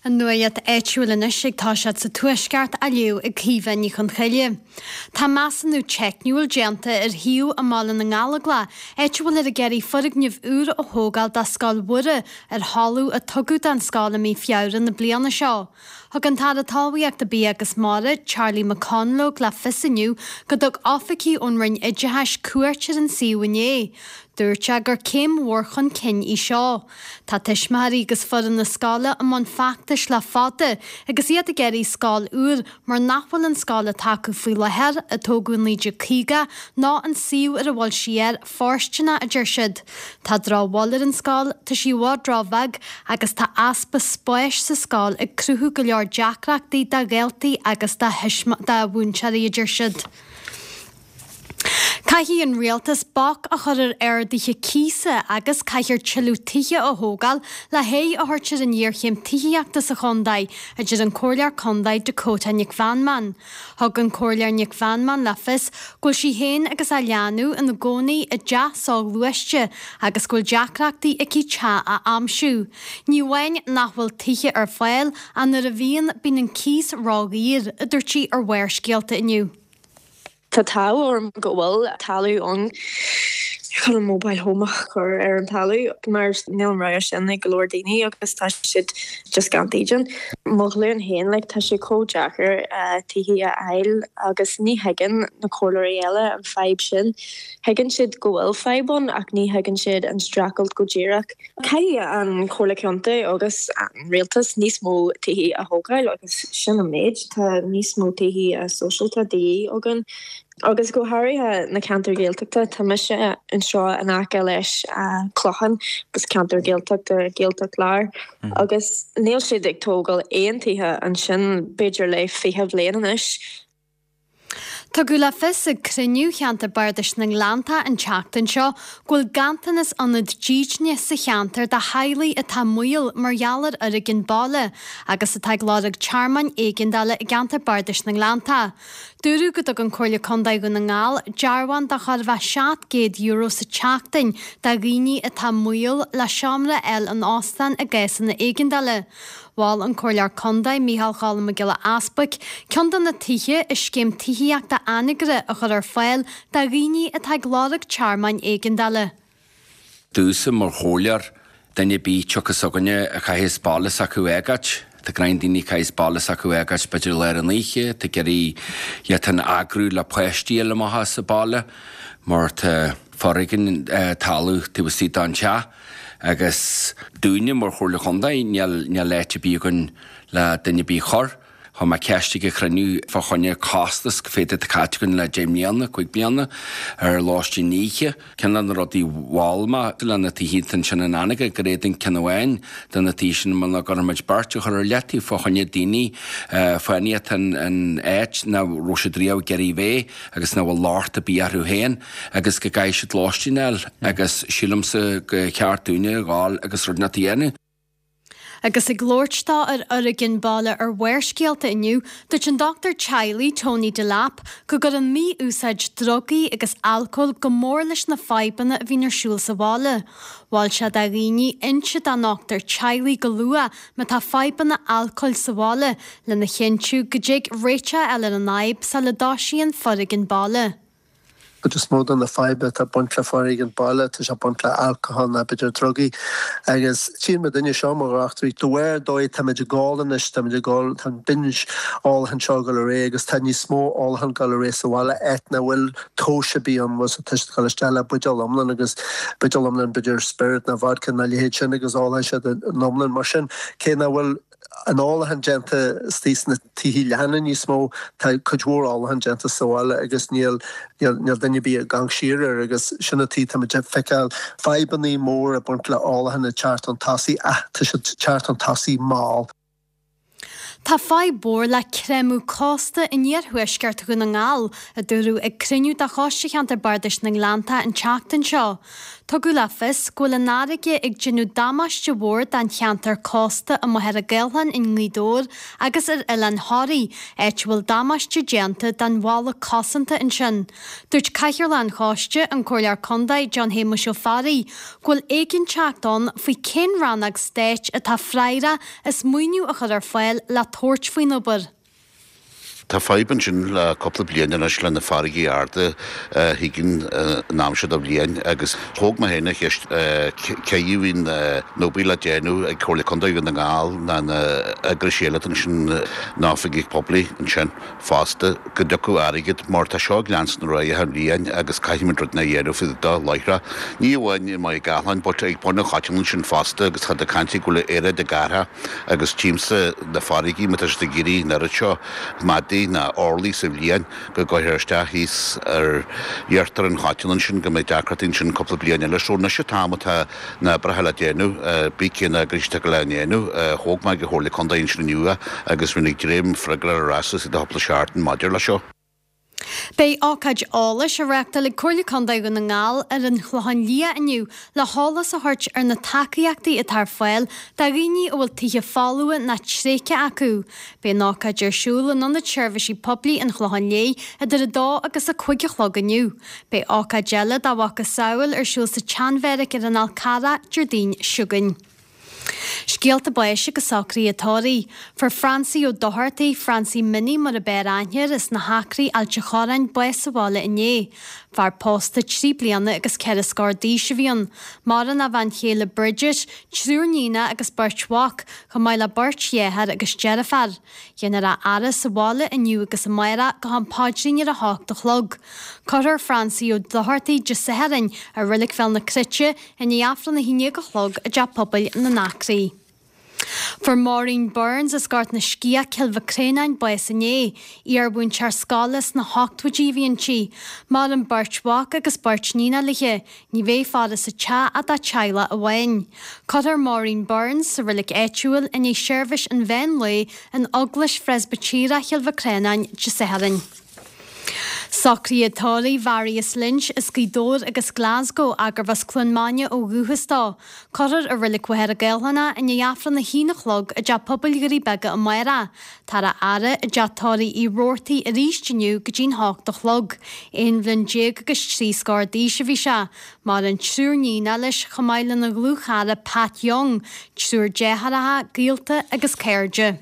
An nuacht áitiúil anois ag toiseacht sa Tuaisceart á léamh ag Caoimhe Ní Chonchoille. Tá measúnú teicniúil déanta ar shuíomh i mBaile na nGallóglach, áit a bhfuil ag iarraidh foirgneamh úr a thógáil do Scoil Mhuire ar thalamh a tugadh don scoil i mí Feabhra na bliana seo. Thug an tAire Talmhaíochta, Bia agus Mara, Charlie McConalogue le fios inniu go dtug oifigigh ón Roinn Oideachais cuairt ar an suíomh inné. Dúirt sé gur céim mhór chun cinn í seo. Tá tuismitheoirí agus foireann na scoile i mbun feachtais le fada agus iad ag iarraidh scoil úr mar nach bhfuil an scoil atá acu faoi láthair, a tógadh i 1950, ná an suíomh ar a bhfuil sí air, fóirsteanach, a deir siad. Tá drochbhail ar an scoil, tá sí i bhfad róbheag agus tá easpa spáis sa scoil ag cruthú go leor deacrachtaí do dhaltaí agus do mhúinteoirí, a deir siad. Caithfidh an Rialtas bac a chur ar arduithe cíosa agus caithfear tuilleadh tithe a thógáil le haghaidh a thabhairt ar an ghéarchéim tithíochta sa chontae, a deir an Comhairleoir Contae Dakota Nic Mheanman. Thug an Comhairleoir Nic Mheanman le fios go bhfuil sí féin agus a leanbh ina gcónaí i dteach soghluaiste agus go bhfuil deacrachtaí aici teach a aimsiú. Ní amháin nach bhfuil tithe ar fáil ach nuair a bhíonn, bíonn an cíos ródhaor, a dúirt sí ar Bharrscéalta inniu. Tá an t-ádh orm go bhfuil talamh ann chun an mobile home a chur ar an talamh mar níl an rogha sin ag go leor daoine agus tá siad just gan dídean. Mo ghlúin féin like tá sé chomh deacair tithe a fháil agus ní thuigeann na comhairleoirí eile an fadhb sin. Thuigeann siad go bhfuil fadhb ann ach ní thuigeann siad an streachailt go díreach. Caithfidh an Chomhairle Contae agus an Rialtas níos mó tithe a thógáil agus sin an méid. Tá níos mó tithe sóisialta de dhíth againn agus go háirithe na ceantair Ghaeltachta. Tá mise anseo in aice leis an Clochán agus ceantar Gaeltachta, Gaeltacht Láir, agus níl siad ag tógáil aon tithe ansin b'fhéidir le 20 bhliain anois. Tugadh le fios ag cruinniú Cheantar Bardais na nGleanntach an tseachtain seo go bhfuil ganntanas ionad dídine sa cheantar do theaghlaigh atá i mbaol mar gheall ar fhoréigean baile agus atá ag lorg tearmainn éigeandála i gCeantar Bardais na nGleanntach. Dúradh go dtugann Comhairle Contae Dhún na nGall dearbhán de chóir a bheith €700 sa tseachtain do dhaoine atá i mbaol le seomra a fháil in óstán i gcásanna éigeandála. Mhol an Comhairleoir Contae, Micheál Choilm Mac Giolla Easbuic, ceann de na tithe i scéim tithíochta Anagaire a chur ar fáil do dhaoine atá ag lorg tearmainn éigeandála. Domhsa mar chomhairleoir, duine ar bith tiocfas s'againne a chaithfeas baile s'acu a fhágáit, tá gnáth daoine a chaithfeas baile s'acu a fhágáit b'fhéidir i lár an oíche, tá ag iarraidh iad féin a eagrú le páistí a fháil amach as an baile mar tá foréigean tarlú taobh istigh den teach. Agus dúinne mar Chomhairle Chontae níl níl áit ar bith againn le duine ar bith a chur. Chuir mé ceist ag an chruinniú fá choinne costas cad é atá caite againn le 10 mbliana, 5 bliana, ar lóistín oíche. Ceann de na rudaí mhol mé le na tithe ansin in Anagaire go bhféadfainn ceann amháin de na tithe sin muna gcuirfimid beirt a chur ar leataobh fá choinne daoine fánaí atá in áit nach raibh siad riamh ag iarraidh bheith agus nach bhfuil locht ar bith orthu féin agus go gcaithfidh siad lóistín a fháil agus sílimse go cheart dúinne a ghabháil agus rud inteacht a dhéanamh. Agus ag labhairt dó ar Fhoréigean Baile ar Bharrscéalta inniu, dúirt an dochtúir teaghlaigh Tony Delap go gcuireann mí-úsáid drugaí agus alcóil go mór leis na fadhbanna a bhíonn ar siúl sa bhaile. Mhol sé do dhaoine inse dá ndochtúir teaghlaigh go luath má tá fadhbanna alcóil sa bhaile lena chinntiú go dtig réiteach a fháil ar an fhadhb sula dtoisíonn foréigean baile. Cuid is mó de na fadhbanna atá ag baint le foréigean baile, tá sé ag baint le alcohol nó b'fhéidir drugaí. Agus tchíonn muidinne seo mar dhochtúirí, de bharr an dóigh táimid ag ól anois, táimid ag ól, tá an binge ólacháin seo ag dul ar aghaidh agus tá níos mó ólacháin ag dul ar aghaidh sa bhaile, áit nach bhfuil tomhas ar bith ann, bhfuil tá siad ag dul isteach le buidéal iomlán agus buidéal iomlán b'fhéidir spiorad nó vodka nó a leithéid sin agus ólfaidh siad an iomlán. Mar sin, cé nach bhfuil an ólachán déanta istigh sna tithe leathana níos mó, tá cuid mhór ólachán déanta sa bhaile agus níl níl duine ar bith ag amharc siar air agus sin an tuige táimid ag feiceáil fadhbanna móra ag baint le ólachán ag teacht chun tosaigh ach tá siad ag teacht chun tosaigh mall. Tá fadhb mhór le creimeadh cósta in iarthuaisceart Dhún na nGall, a dúradh ag cruinniú de Choiste Cheantar Bardais na nGleanntach an tseachtain seo. Tugadh le fios go bhfuil an fharraige ag déanamh damáiste mhór don cheantar cósta i Machaire Gathlán i nGaoth Dobhair agus ar Oileán Thoraí, áit a bhfuil damáiste déanta don bhalla cosanta ansin. Dúirt Cathaoirleach an Choiste, an Comhairleoir Contae John Shéamuis Ó Fearraigh, go bhfuil éiginnteacht ann faoi cén rannóg stáit atá freagrach as maoiniú a chur ar fáil le tabhairt faoin obair. Tá fadhb ansin le cúpla bliain anois le na farraigí arda a thigeann an am seo de bhliain agus thóg mé féin an cheist cé a bhíonn an obair le déanamh ag Comhairle Contae Dhún na nGall ná na eagrais eile ansin na oifigigh poiblí ansin fosta go dtiocfadh airgead mar tá seo ag leanstan ar aghaidh achan bhliain agus caithfimid rud a dhéanamh faoi do láithreach. Ní amháin i Machaire Gathlán but ag Bun an Choitín ansin fosta agus tá caint go bhfuil aeráid ag athrú. Agus tchímse na farraigí, má tá siad ag éirí an oiread seo maidí ná orlaí sa bhliain, go gcuirfear isteach thíos ar iarthar an Choitín ansin, go mbeidh deacrachtaí ansin cúpla bliain eile. So anois an t-am atá na oibreacha le déanamh, bí cén eagrais atá le ndéanamh. Thóg mé ag an Chomhairle Contae ansin inniu é agus bhí ag dréim freagra ar ais istigh de chúpla seachtain maidir leis seo. Beidh ócáid eolais á reáchtáil ag Comhairle Contae Dhún na nGall ar an Chlochán Liath inniu le heolas a thabhairt ar na tacaíochtaí atá ar fáil do dhaoine a bhfuil tithe folmha ná tréigthe acu. Beidh an ócáid ar siúl in Ionad Seirbhísí Poiblí an Chlocháin Léith idir 2 agus 5 a chlog inniu. Beidh ócáid eile dá mhacasamhail ar siúl sa tSeanbheairic ar an Fhál Carrach Déardaoin seo chugainn. Scéalta báis agus socruithe tórraimh. Fuair Francie Ó Dochartaigh, Francie Minnie mar ab fhearr aithne air, as na hAcraí, Ailt a' Chorráin, bás sa bhaile inné. Fear pósta trí bliana agus ceithre scór d'aois a bhí ann. Maireann a bhean chéile Bridget, triúr níonacha agus beirt mhac, chomh maith le beirt dheartháir agus deirfiúr. Déanfar a fhaire sa bhaile inniu agus amárach go ham paidrín ar a hocht a chlog. Cuirfear Francie Ó Dochartaigh Dé Sathairn i Reilig Bhéal na Cruite i ndiaidh Aifreann 11 a chlog i dTeach Pobail na nAcraí. Fuair Maureen Burns as Gort na Sciath, Cill Mhic Réanáin, bás inné. Iarmhúinteoir scoile sna hochtóidí a bhí inti. Maireann beirt mhac agus beirt níonacha léi. Ní bheidh faire sa teach ach dá teaghlach amháin. Cuirfear Maureen Burns sa reilig áitiúil i ndiaidh seirbhís an mheán lae in Eaglais Phreispitéireach Chill Mhic Réanáin Dé Sathairn. Socruithe tórraimh Mharius Lynch as Gaoth Dobhair agus Glasgow gurbh as Cluain Maine ó dhúchas dó. Cuirfear i Reilig Mhachaire Gathlán é i ndiaidh Aifreann 1 a chlog i dTeach Pobail Dhoirí Beaga amárach. Táthar á fhaire i dteach tórraimh Uí Robhartaigh arís inniu go dtí'n hocht a chlog. Aon bhliain déag agus trí scór d'aois a bhí sé. Maireann triúr níonacha leis chomh maith lena dhlúthchara Pat Young, triúr deartháireacha, gaolta agus cairde.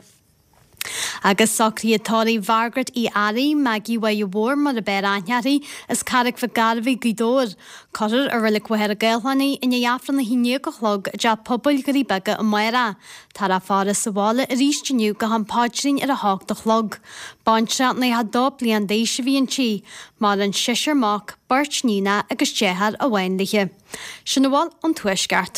Agus socruithe tórraimh Mhargaret Uí Fhearraigh, Maggie Mháire Mhór mar ab fhearr aithne uirthi, as Carraig Mhic Gairbheith, Gaoth Dobhair. Cuirfear i Reilig Mhachaire Gathlán í i ndiaidh Aifreann 11 a chlog i dTeach Pobail Dhoirí Beaga amárach. Táthar á faire sa bhaile arís inniu go ham paidrín ar a hocht a chlog. Baintreach 92 bliain d'aois a bhí inti. Maireann seisear mac, beirt níonacha agus deartháir amháin léi. Sin a bhfuil ón Tuaisceart.